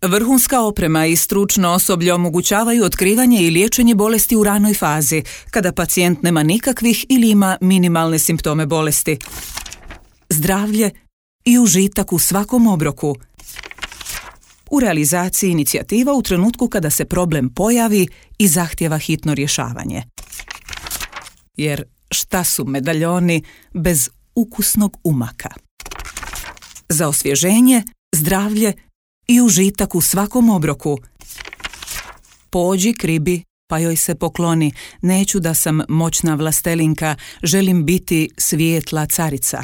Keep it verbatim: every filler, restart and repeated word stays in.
Vrhunska oprema i stručno osoblje omogućavaju otkrivanje i liječenje bolesti u ranoj fazi, kada pacijent nema nikakvih ili ima minimalne simptome bolesti. Zdravlje i užitak u svakom obroku. U realizaciji inicijativa u trenutku kada se problem pojavi i zahtjeva hitno rješavanje. Jer šta su medaljoni bez ukusnog umaka? Za osvježenje, zdravlje i užitak u svakom obroku. Pođi k ribi, pa joj se pokloni. Neću da sam moćna vlastelinka, želim biti svijetla carica.